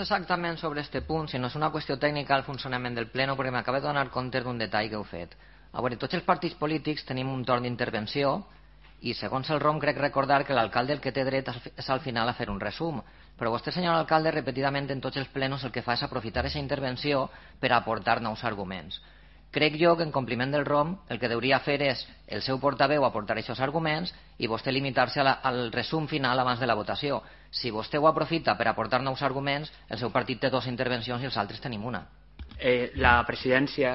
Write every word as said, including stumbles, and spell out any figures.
Exactament sobre aquest punt, si no és una qüestió tècnica al funcionament del pleno, perquè m'acabo de donar compte d'un detall que heu fet. A veure, tots els partits polítics tenim un torn d'intervenció i segons el R O M crec recordar que l'alcalde el que té dret és al final a fer un resum, però vostè, senyor alcalde, repetidament en tots els plenos el que fa és aprofitar aquesta intervenció per aportar nous arguments. Crec jo que en compliment del R O M el que hauria fer és el seu portaveu aportar aquests arguments i vostè limitar-se al resum final abans de la votació. Si vostè ho aprofita per aportar nous arguments, el seu partit té dues intervencions i els altres tenim una. Eh, la presidència